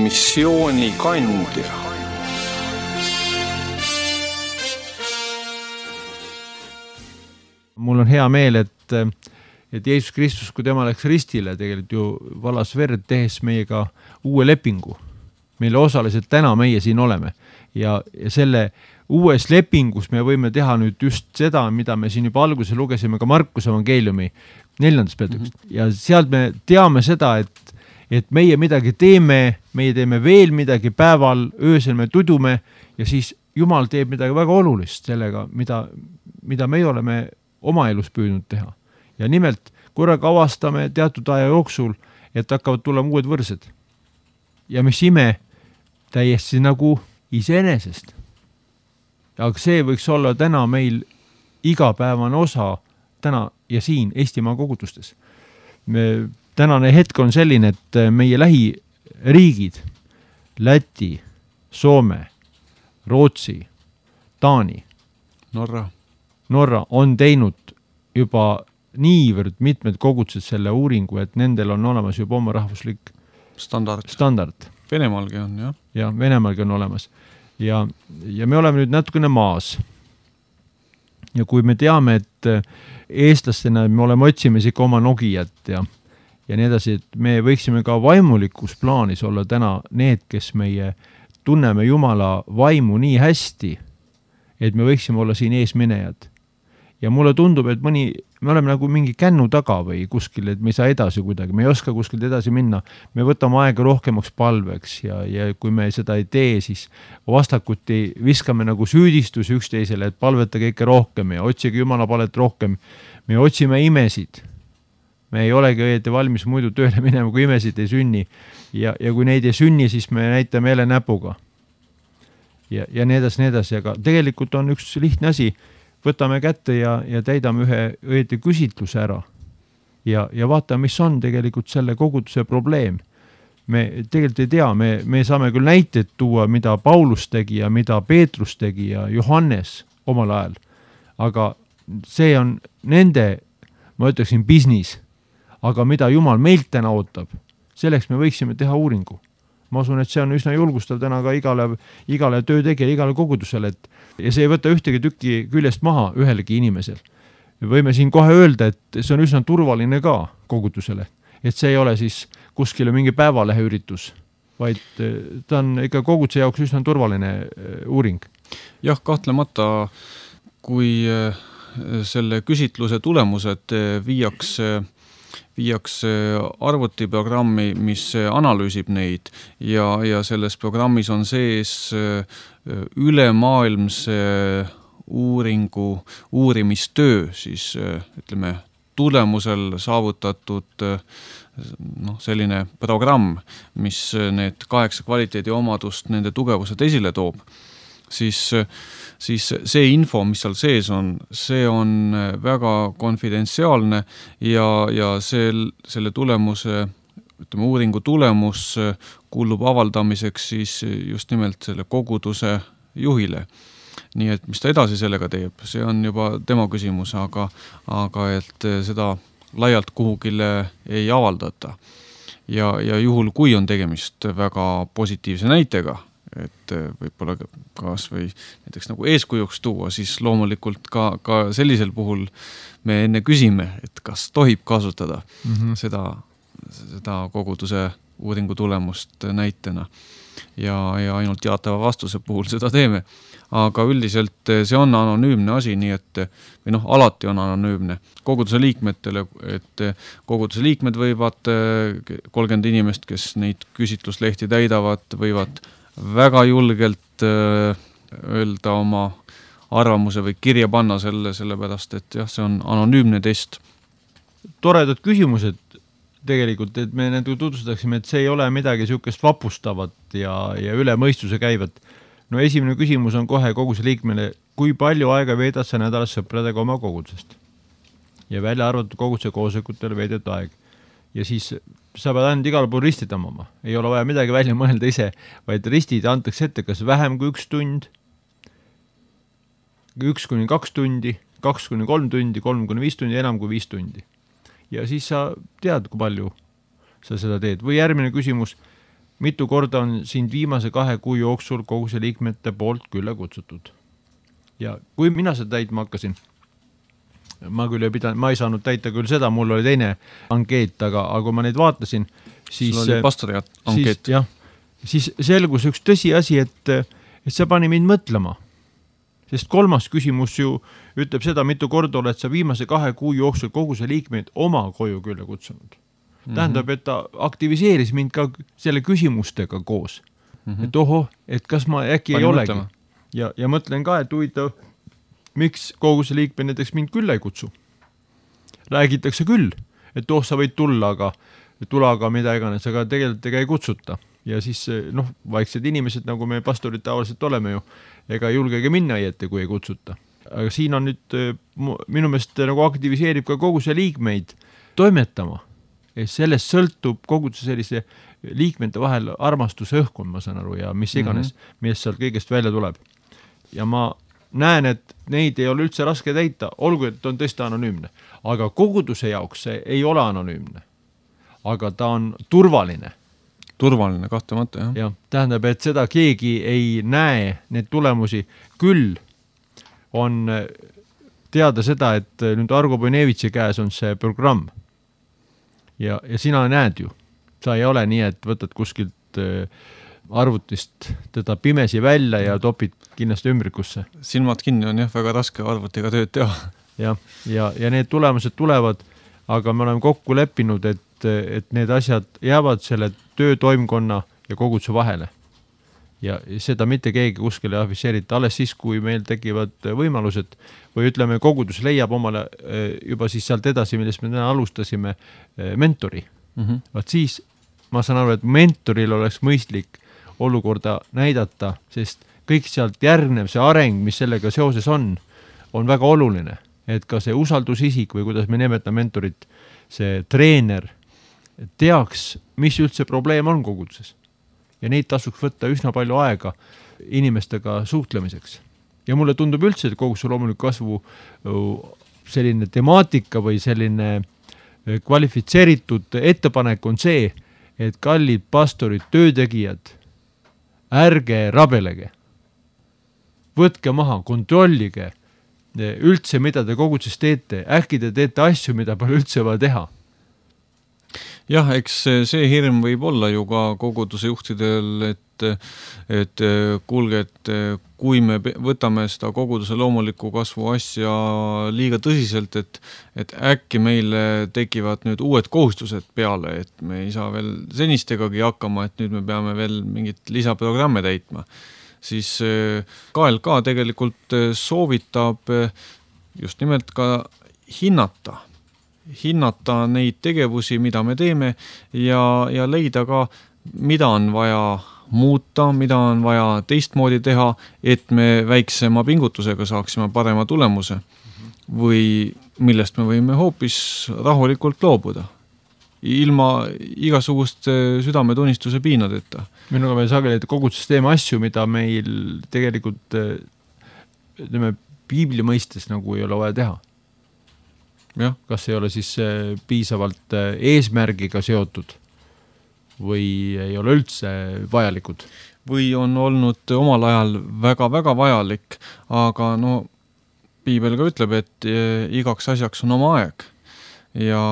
Missioonikandja. Mul on hea meel, et et Jeesus Kristus, kui tema läks ristile, tegelikult ju valas verd, tehes meiega uue lepingu, mille osaliselt täna meie siin oleme. Ja selle uues lepingus me võime teha nüüd just seda, mida me siin juba alguses lugesime ka Markuse evangeeliumi 4. peatükist. Ja sealt me teame seda, et meie midagi teeme, meie teeme veel midagi päeval, öösel me tudume ja siis Jumal teeb midagi väga olulist sellega, mida me oleme oma elus püüdnud teha. Ja nimelt korraga avastame teatud aja jooksul, et hakkavad tulema uued võrsed. Ja mis ime täiesti nagu iseenesest. Aga see võiks olla täna meil igapäevane osa täna ja siin Eestimaa kogudustes. Tänane hetk on selline, et meie lähiriigid, Läti, Soome, Rootsi, Taani, Norra on teinud juba niivõrd mitmed kogudused selle uuringu, et nendel on olemas juba oma rahvuslik standard. Venemaalgi on, jah. Ja Venemaalgi on olemas. Ja me oleme nüüd natukene maas. Ja kui me teame, et eestlastena me oleme otsimas ikka oma Nokiat ja nii edasi, et me võiksime ka vaimulikus plaanis olla täna need, kes meie tunneme Jumala vaimu nii hästi, et me võiksime olla siin eesminejad. Ja mulle tundub, et me oleme nagu mingi kännu taga või kuskil, et me ei saa edasi kuidagi, me ei oska kuskilt edasi minna. Me võtame aega rohkemaks palveks ja kui me seda ei tee, siis vastakuti viskame nagu süüdistusi üksteisele, et palvetage ikka rohkem ja otsige Jumala palet rohkem. Me otsime imesid. Me ei olegi õieti valmis muidu tööle minema, kui imesid ei sünni. Ja kui neid ei sünni, siis me näitame jälle näpuga. Ja nii edasi. Aga tegelikult on üks lihtne asi. Võtame kätte ja täidame ühe õieti küsitluse ära. Ja vaatame, mis on tegelikult selle koguduse probleem. Me tegelikult ei tea, me saame küll näiteid tuua, mida Paulus tegi ja mida Peetrus tegi ja Johannes omal ajal. Aga see on nende, ma ütleksin, business. Aga mida Jumal meilt täna ootab, selleks me võiksime teha uuringu. Ma usun, et see on üsna julgustav täna ka igale töötegija, igale kogudusele, ja see ei võta ühtegi tükki küljest maha ühelegi inimesel. Võime siin kohe öelda, et see on üsna turvaline ka kogudusele, et see ei ole siis kuskile mingi päevalehe üritus, vaid ta on ikka koguduse jaoks üsna turvaline uuring. Jah, kahtlemata, kui selle küsitluse tulemused viiakse arvutiprogrammi, mis analüüsib neid ja selles programmis on sees ülemaailmse uurimistöö, siis ütleme tulemusel saavutatud selline programm, mis need 8 kvaliteedi omadust, nende tugevused esile toob, siis see info, mis seal sees on, see on väga konfidentsiaalne ja selle tulemuse, ütleme, uuringu tulemus kuulub avaldamiseks siis just nimelt selle koguduse juhile. Nii et mis ta edasi sellega teeb, see on juba tema küsimus, aga et seda laialt kuhugile ei avaldata. Ja juhul, kui on tegemist väga positiivse näitega, et võib-olla kas või näiteks nagu eeskujuks tuua, siis loomulikult ka sellisel puhul me enne küsime, et kas tohib kasutada seda koguduse uuringu tulemust näitena ja ainult jaatava vastuse puhul seda teeme. Aga üldiselt see on anonüümne asi, nii et alati on anonüümne koguduse liikmetele, et koguduse liikmed võivad 30 inimest, kes neid küsitluslehti täidavad, võivad väga julgelt öelda oma arvamuse või kirja panna sellepärast, et jah, see on anonüümne test. Toredad küsimused tegelikult, et me need tutvustaksime, et see ei ole midagi sihukest vapustavat ja üle mõistuse käivat. No esimene küsimus on kohe koguduse liikmele, kui palju aega veedad sa nädalas sõpradega oma kogudusest? Ja välja arvatud koguduse koosolekutel veedet aeg. Ja siis sa pead ainult igal pool ristid tõmbama. Ei ole vaja midagi välja mõelda ise, vaid ristid antakse ette kas vähem kui 1 tund, 1-2 tundi, 2-3 tundi, 3-5 tundi, enam kui 5 tundi. Ja siis sa tead, kui palju sa seda teed. Või järgmine küsimus, mitu korda on sind viimase 2 kuu jooksul koguse liikmete poolt külla kutsutud? Ja kui mina seda täitma hakkasin, ma küll ma ei saanud täita küll seda, mul oli teine ankeet, aga kui ma neid vaatasin, siis sul oli pastori ankeet. Siis selgus üks tõsiasi, et see pani mind mõtlema. Sest 3. küsimus ju ütleb seda, mitu korda oled sa viimase 2 kuu jooksul kogu see liikmeid oma koju külla kutsunud. Tähendab, et ta aktiviseeris mind ka selle küsimustega koos. Et oho, et kas ma äkki ei olegi. Ja mõtlen ka, et huvitav, miks kogu see liikme näiteks mind külla ei kutsu. Räägitakse küll, et sa võid tulla, aga mida iganes, aga tegelikult ega ei kutsuta. Ja siis vaiksed inimesed, nagu me pastorid tavaliselt oleme ju, ega julgege minna õieti, kui ei kutsuta. Aga siin on nüüd minu meelest nagu aktiviseerib ka kogu see liikmeid toimetama. Sellest sõltub kogu sellise liikmete vahel armastuse õhkund, ma saan aru, ja mis iganes, mis sealt kõigest välja tuleb. Ja ma näen, et neid ei ole üldse raske täita, olgu, et on tõesti anonüümne. Aga koguduse jaoks see ei ole anonüümne. Aga ta on turvaline. Turvaline, kahtlemata, jah. Ja, tähendab, et seda keegi ei näe need tulemusi. Küll on teada seda, et nüüd Argo Bojnevitši käes on see programm. Ja sina näed ju. Sa ei ole nii, et võtad kuskilt arvutist teda pimesi välja ja topid kindlasti ümbrikusse. Silmad kinni on jah väga raske arvutiga tööd teha. Ja need tulemused tulevad, aga me oleme kokku leppinud, et need asjad jäävad selle töötoimkonna ja koguduse vahele. Ja seda mitte keegi kuskile afisseerita, alles siis, kui meil tekivad võimalused või ütleme, kogudus leiab omale juba siis sealt edasi, millest me täna alustasime, mentori. Vaat siis ma saan aru, et mentoril oleks mõistlik olukorda näidata, sest kõik sealt järgnev see areng, mis sellega seoses on väga oluline, et ka see usaldusisik või kuidas me nimetame mentorit, see treener teaks, mis üldse probleem on koguduses. Ja neid tasuks võtta üsna palju aega inimestega suhtlemiseks. Ja mulle tundub üldse, et koguduse loomuliku kasvu selline temaatika või selline kvalifitseeritud ettepanek on see, et kallid pastorid, töötegijad, ärge rabelege. Võtke maha, kontrollige üldse, mida te koguduses teete. Äkki te teete asju, mida pole üldse vaja teha. Jah, eks see hirm võib olla ju ka koguduse juhtidel, et kuulge, et kui me võtame seda koguduse loomuliku kasvu asja liiga tõsiselt, et äkki meile tekivad nüüd uued kohustused peale, et me ei saa veel senistegagi hakkama, et nüüd me peame veel mingit lisaprogramme täitma. Siis KLK tegelikult soovitab just nimelt ka hinnata neid tegevusi, mida me teeme ja leida ka, mida on vaja muuta, mida on vaja teistmoodi teha, et me väiksema pingutusega saaksime parema tulemuse või millest me võime hoopis rahulikult loobuda, ilma igasugust südametunnistuse piinadeta. Minuga me sageli koguduses teeme asju, mida meil tegelikult piibli mõistes nagu ei ole vaja teha. Ja. Kas ei ole siis piisavalt eesmärgiga seotud või ei ole üldse vajalikud? Või on olnud omal ajal väga-väga vajalik, aga piibel ka ütleb, et igaks asjaks on oma aeg. Ja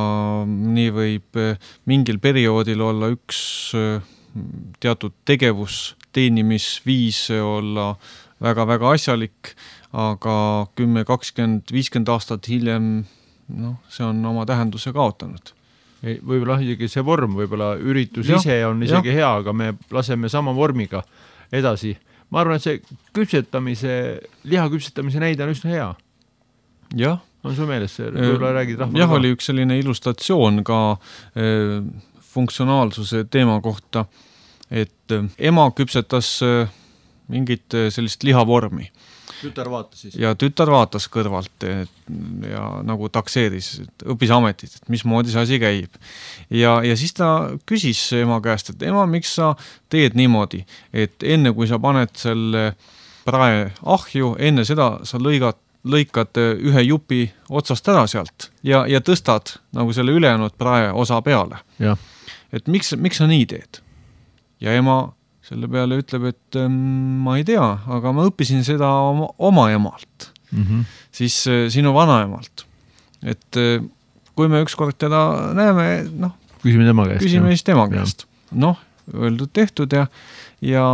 nii võib mingil perioodil olla üks teatud tegevus, teenimisviis olla väga-väga asjalik, aga 10, 20, 50 aastat hiljem see on oma tähenduse kaotanud. Võib-olla isegi see vorm, võib-olla üritus ise on isegi hea, aga me laseme sama vormiga edasi. Ma arvan, et see liha küpsetamise näide on üsna hea. Jah. On su meeles see? Võib-olla räägid rahvale? Jah, oli üks selline illustratsioon ka funktsionaalsuse teema kohta, et ema küpsetas mingit sellist lihavormi. Tütar vaatas siis. Ja tütar vaatas kõrvalt ja nagu takseeris, et õppis ametit, et mismoodi see asi käib. Ja siis ta küsis ema käest, et ema, miks sa teed niimoodi, et enne kui sa paned selle prae ahju, enne seda sa lõikad ühe jupi otsast ära sealt ja tõstad nagu selle ülejäänud prae osa peale. Ja. Et miks sa nii teed? Ja ema selle peale ütleb, et ma ei tea, aga ma õppisin seda oma emalt, siis sinu vanaemalt. et kui me ükskord teda näeme, noh, küsime tema käest. Küsime siis tema käest. Noh, öeldud tehtud ja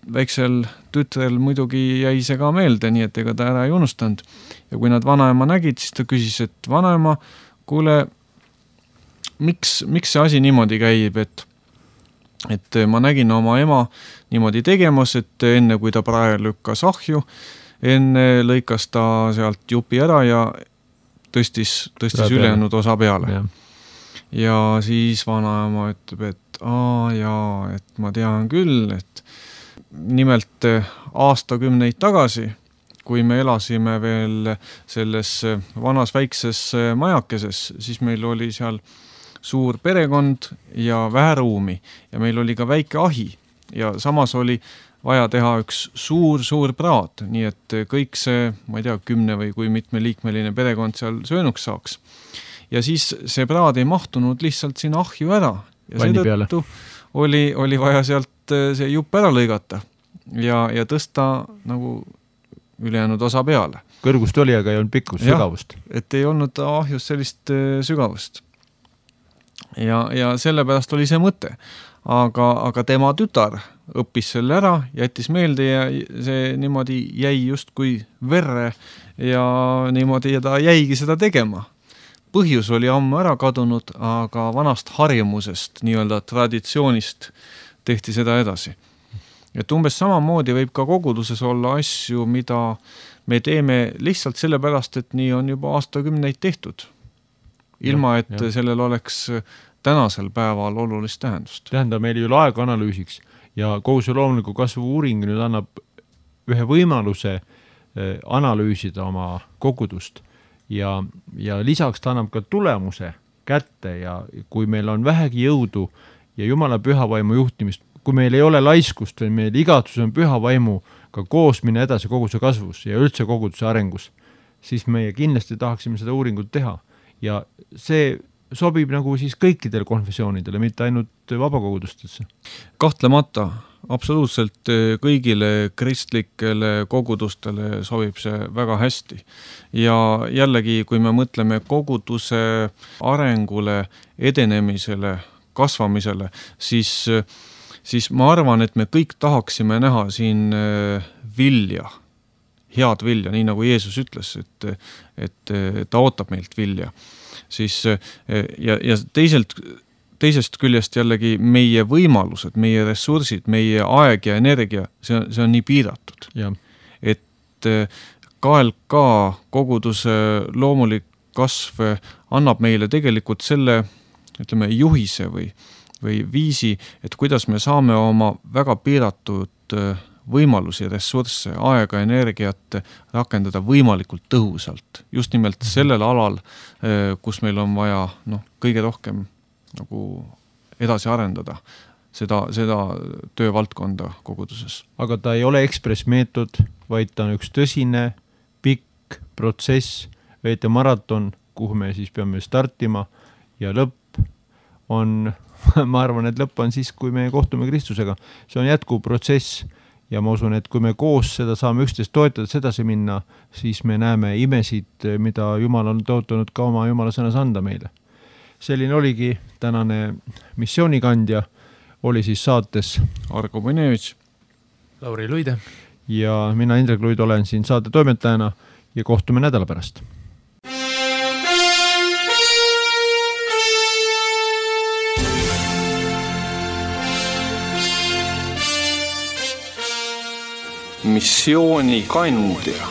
väiksel tütrel muidugi jäi see ka meelde, nii et ega ta ära ei unustanud. Ja kui nad vanaema nägid, siis ta küsis, et vanaema, kuule, miks see asi niimoodi käib, et ma nägin oma ema niimoodi tegemas, et enne kui ta praegu lükkas ahju, enne lõikas ta sealt jupi ära ja tõstis ülejäänud osa peale. Ja siis vanaema ütleb, et et ma tean küll, et nimelt aastakümneid tagasi, kui me elasime veel selles vanas väikses majakeses, siis meil oli seal suur perekond ja vähe ruumi ja meil oli ka väike ahi ja samas oli vaja teha üks suur praad, nii et kõik see, ma ei tea, 10 või kui mitme liikmeline perekond seal söönuks saaks. Ja siis see praad ei mahtunud lihtsalt sinna ahju ära ja seetõttu oli vaja sealt see jupp ära lõigata ja tõsta nagu ülejäänud osa peale. Kõrgust oli, aga ei olnud pikkust, sügavust. Et ei olnud ahjus sellist sügavust. Ja sellepärast oli see mõte. Aga tema tütar õppis selle ära, jättis meelde ja see niimoodi jäi just kui verre ja niimoodi ja ta jäigi seda tegema. Põhjus oli ammu ära kadunud, aga vanast harjumusest, nii-öelda traditsioonist tehti seda edasi. Et umbes samamoodi võib ka koguduses olla asju, mida me teeme lihtsalt sellepärast, et nii on juba aastakümneid tehtud. Ilma, et sellel oleks tänasel päeval olulist tähendust. Tähendab meil ju aeganalüüsiks ja kogu see loomuliku kasvu uuring nüüd annab ühe võimaluse analüüsida oma kogudust ja lisaks ta annab ka tulemuse kätte ja kui meil on vähegi jõudu ja Jumala pühavaimu juhtimist, kui meil ei ole laiskust või meil igatsus on pühavaimuga koos minna edasi koguduse kasvus ja üldse koguduse arengus, siis meie kindlasti tahaksime seda uuringut teha ja see sobib nagu siis kõikidele konfessioonidele, mitte ainult vabakogudustesse. Kahtlemata, absoluutselt kõigile kristlikele kogudustele sobib see väga hästi. Ja jällegi, kui me mõtleme koguduse arengule, edenemisele, kasvamisele, siis ma arvan, et me kõik tahaksime näha siin vilja, head vilja, nii nagu Jeesus ütles, et ta ootab meilt vilja. Siis, ja teisest küljest jällegi meie võimalused, meie ressursid, meie aeg ja energia, see on nii piiratud. Ja. Et KLK koguduse loomulik kasv annab meile tegelikult selle, ütleme, juhise või viisi, et kuidas me saame oma väga piiratud võimalusi, ressursse, aega, energiat rakendada võimalikult tõhusalt. Just nimelt sellel alal, kus meil on vaja kõige rohkem nagu edasi arendada seda töövaldkonda koguduses. Aga ta ei ole ekspressmeetod, vaid ta on üks tõsine, pikk protsess, veete maraton, kuhu me siis peame startima ja lõpp on, ma arvan, et lõpp on siis, kui me kohtume Kristusega. See on jätkuv protsess ja ma usun, et kui me koos seda saame üksteist toetada, sedasi minna, siis me näeme imesid, mida Jumal on tootanud ka oma Jumala sõnas anda meile. Selline oligi tänane missioonikandja, oli siis saates Argo Põnevitš, Lauri Luide ja mina Indrek Luid olen siin saate toimetajana ja kohtume nädala pärast. Missioonikandja.